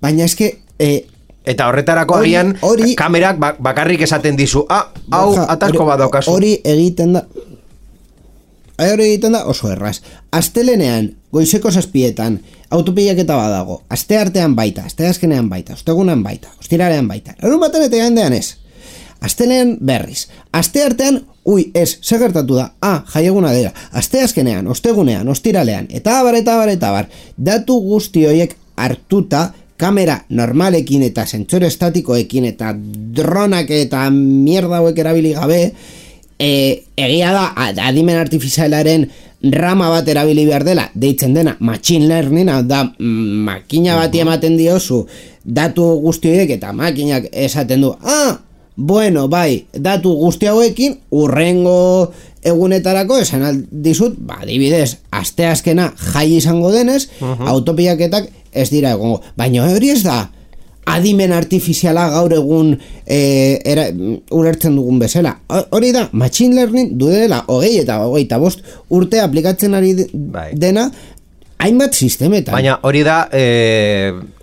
Baina eske eta horretarako agian kamerak bakarrik esaten dizu, hau atarko bat daukazu. Hori egiten da oso erraz. Astelenean, goizeko 7etan, autopilaketa badago, asteartean baita, asteazkenean baita, ostegunean baita, ostiralean baita, larunbatean eta igandean ez. Astelenean berriz, asteartean, ze gertatu da, jaieguna dela, asteazkenean, ostegunean, ostiralean, eta abar, datu guzti horiek hartuta, kamera normalekin eta sentsore estatikoekin eta dronak eta mierda hauek erabili gabe, egia da adimen artifizialaren rama bat erabili behar dela, deitzen dena machine learning, da makina bati ematen diozu datu guzti horiek eta makinak esaten du, bueno, bai, datu guzti hauekin urrengo egunetarako esan aldizut, adibidez, asteazkena jai izango denez, autopilaketak ez dira egongo. Baina hori ez da adimen artifiziala gaur egun ulertzen dugun bezala. Hori da, machine learning dudela 20 eta 25 urte aplikatzen ari dena hainbat sistemetan. Baina hori da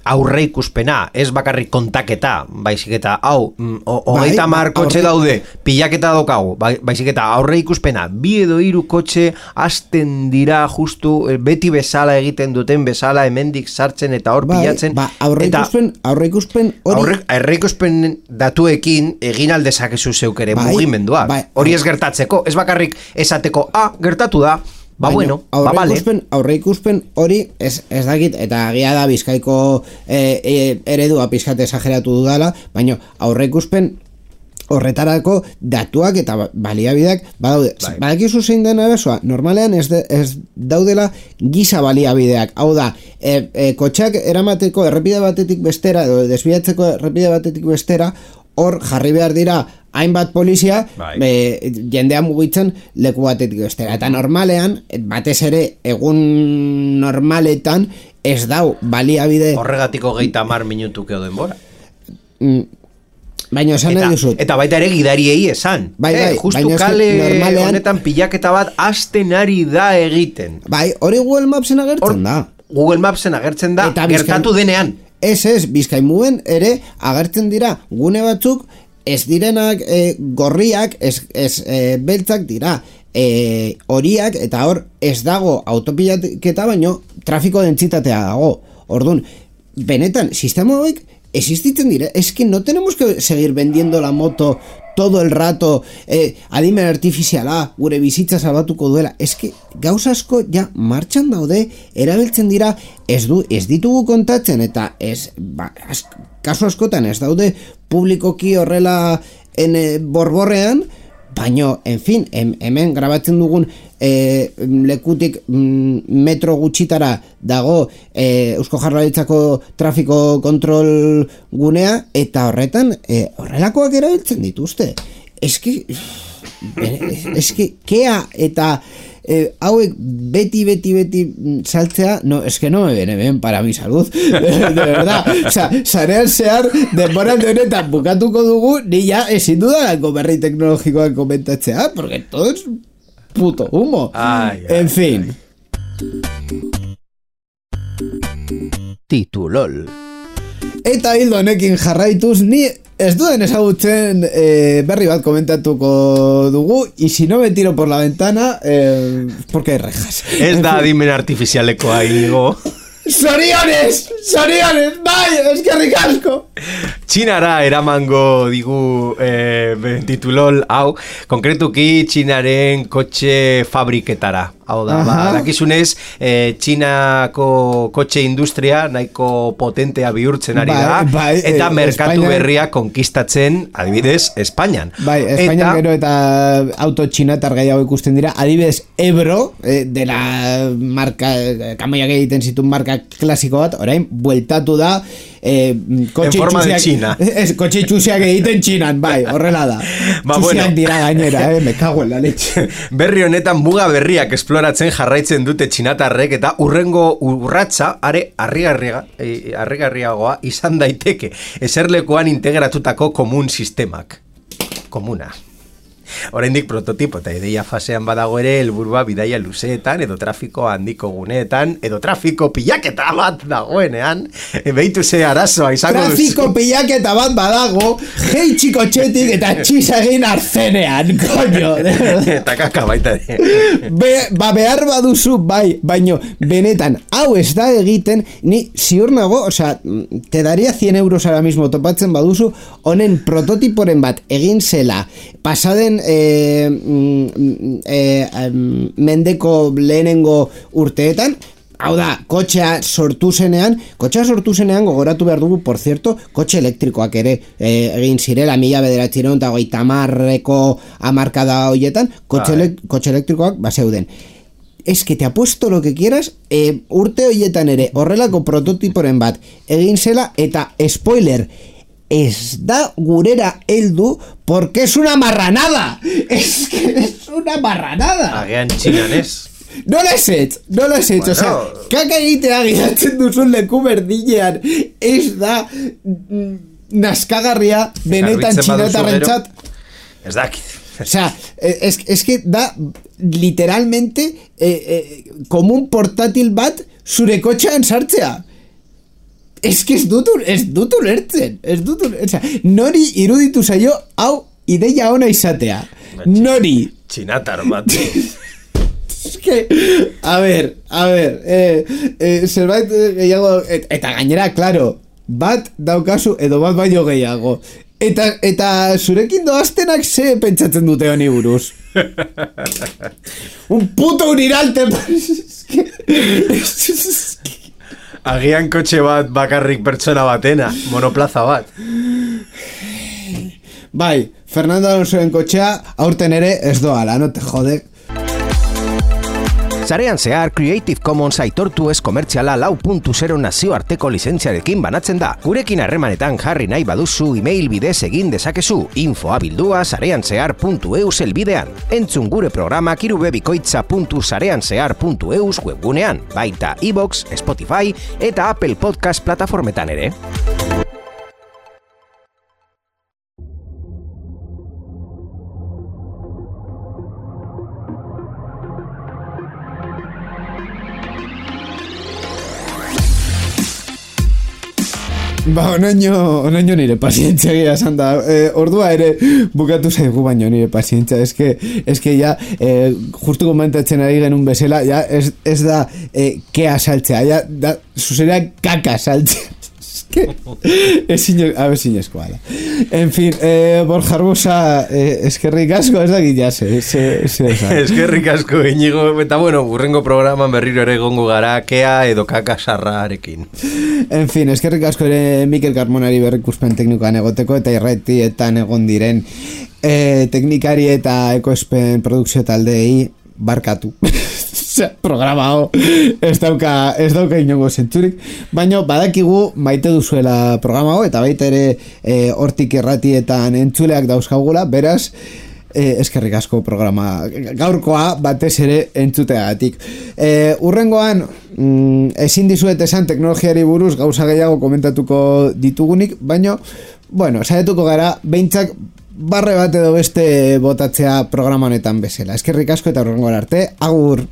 aurre ikuspena, ez bakarrik kontaketa, baizik eta hau, 30 kotxe daude, pilaketa daukagu, baizik eta aurre ikuspena, 2 edo 3 kotxe hasten dira justu beti bezala egiten duten bezala hemendik sartzen eta hor pilatzen. Aurre ikuspen hori... Aurre ikuspen datuekin egin aldezakezu zeuk ere mugimendua. Hori ez gertatzeko, ez bakarrik esateko, gertatu da, bueno, aurre ikuspen hori ez dakit, eta agia da Bizkaiko eredua pizkat esageratu dudala, baina aurre ikuspen horretarako datuak eta baliabideak badaude. Badakizu zein den arazoa, normalean ez daudela giza baliabideak. Hau da, kotxeak eramateko errepide batetik bestera, edo desbiatzeko errepide batetik bestera, hor jarri behar dira hainbat polizia jendea mugitzen leku batetik bestera. Eta normalean, batez ere egun normaletan ez dau baliabide... Horregatiko 30 minutuko denbora. Baina esan nahi duzut. Eta baita ere gidariei esan. Justu kale honetan pilaketa bat hasten ari da egiten. Hori Google Mapsen agertzen da. Google Mapsen agertzen da, gertatu denean. Ez, Bizkaimuen ere agertzen dira gune batzuk ez direnak gorriak, ez beltzak dira horiak, eta hor ez dago autopilaketa baino trafiko dentsitatea dago. Orduan, benetan, sistema hauek existitzen dira, es que no tenemos que seguir vendiendo la moto todo el rato, adimen artifiziala gure bizitza salbatuko duela. Es que gauza asko ja martxan daude, erabiltzen dira, ez ditugu kontatzen, eta kasu askotan ez daude publikoki horrela borborrean, baino, en fin, hemen grabatzen dugun lekutik metro gutxitara dago Eusko Jaurlaritzako trafiko kontrol gunea, eta horretan horrelakoak erabiltzen dituzte. Eske kea eta hauek beti saltzea, eske no me viene bien para mi salud, de verdad. O sea, sarean zehar denbora honetan bukatuko dugu, ni ya ezin dudalako berri teknologikoak komentatzea, porque todo es puto humo. En fin. Titulol. Eta hildo honekin jarraituz, ni ez duen ezagutzen berri bat komentatuko dugu, y si no me tiro por la ventana, porque hay rejas. Ez da adimen artifizialekoa, Inigo. Soriones, bai, eskerrik asko. Txinara eramango digu titulol hau, konkretuki Txinaren kotxe fabriketara. Hau da, dakizunez, Txinako kotxe industria nahiko potentea bihurtzen ari da, eta merkatu berria konkistatzen, adibidez, Espainian. Bai, Espainian gero eta auto txinatar gehiago ikusten dira, adibidez, Ebro, de la marka, kamoiak egiten zituen marka klasiko bat, orain, bueltatu da, kotxe txusiak egiten Txinan, bai, horrela da. Txusiak dira gainera, me cago en la leche. Berri honetan muga berriak esploratzen jarraitzen dute txinatarrek, eta urrengo urratsa are harrigarriagoa izan daiteke eserlekuan integratutako komun sistemak. Komuna. Oraindik prototipo eta ideia fasean badago ere helburua bidaia luzeetan edo trafiko handiko guneetan edo trafiko pilaketa bat dagoenean behitu ze arazoa izango duzu. Trafiko pilaketa bat badago jeitxiko txetik eta txisa egin arzenean, koño. Eta kaka baita behar baduzu bai, baino benetan hau ez da egiten, ni ziur nago, osea, te daria 100 euros ahora mismo topatzen baduzu honen prototiporen bat egin zela pasaden mendeko lehenengo urteetan, hau da, kotxea sortu zenean gogoratu behar dugu, por cierto, kotxe elektrikoak ere egin zirela 1930ko hamarkada hoietan, kotxe elektrikoak baseuden. Es que te apuesto lo que quieras, urte hoietan ere horrelako prototiporen bat egin zela, eta spoiler, ez da gurera heldu porque es una marranada. Es que es una marranada. Agian Txinan ez. No lo has hecho. Bueno. O sea, kaka egitea giratzen duzun leku berdinean ez da naskagarria benetan txinatarrentzat. Ez dakit. O sea, es que da literalmente como un portátil bat zure kotxean sartzea. Es que ez dut ulertzen. O sea, nori iruditu zaio hau ideia ona izatea. Nori. Txinatar bat. Es que, a ver, zerbait gehiago, eta gainera, claro, bat daukazu edo bat baino gehiago. Eta zurekin doaztenak ze pentsatzen dute honi buruz. Un puto uniralte. Agian kotxe bat bakarrik pertsona batena, monoplaza bat. Bai, Fernando Alonsoen kotxea aurten ere ez doala, no te jode. Sarean zehar Creative Commons aitortu ez komertziala 4.0 nazioarteko lizentziarekin banatzen da. Gurekin harremanetan jarri nahi baduzu email bidez egin dezakezu info@sareanzehar.eus elbidean. Entzun gure programak irubebikoitza.sareanzehar.eus webgunean, baita iVoox, Spotify eta Apple Podcast plataformetan ere. Ba, onaino nire pazientzia gira esan da. Ordua ere bukatu zaigu baino nire pazientzia. Es que ya, justu komentatzen ari genuen bezala, ya ez da kea saltzea, ya da, zuzera kaka saltzea. A ver sinezkoa da. En fin, Borja Arbusa, eskerrik asko, ez da gilase. Eskerrik asko, Iñigo. Eta bueno, urrengo programan berriro ere gongo gara kea edo kaka sarrarekin. En fin, eskerrik asko ere Mikel Carmonari berrikuspen teknikoan egoteko eta irratietan egon diren teknikari eta ekoespen produkzio taldei barkatu. Programa hau ez dauka inongo zentzurik, baina badakigu maite duzuela programa hau eta baita ere hortik irratietan entzuleak dauzkagula, beraz eskerrik asko programa gaurkoa batez ere entzuteagatik. Urrengoan ezin dizuet esan teknologiari buruz gauza gehiago komentatuko ditugunik, baina bueno, saietuko gara behintzak barre bat edo beste botatzea programa honetan bezala. Eskerrik asko eta urrengoan arte, agur!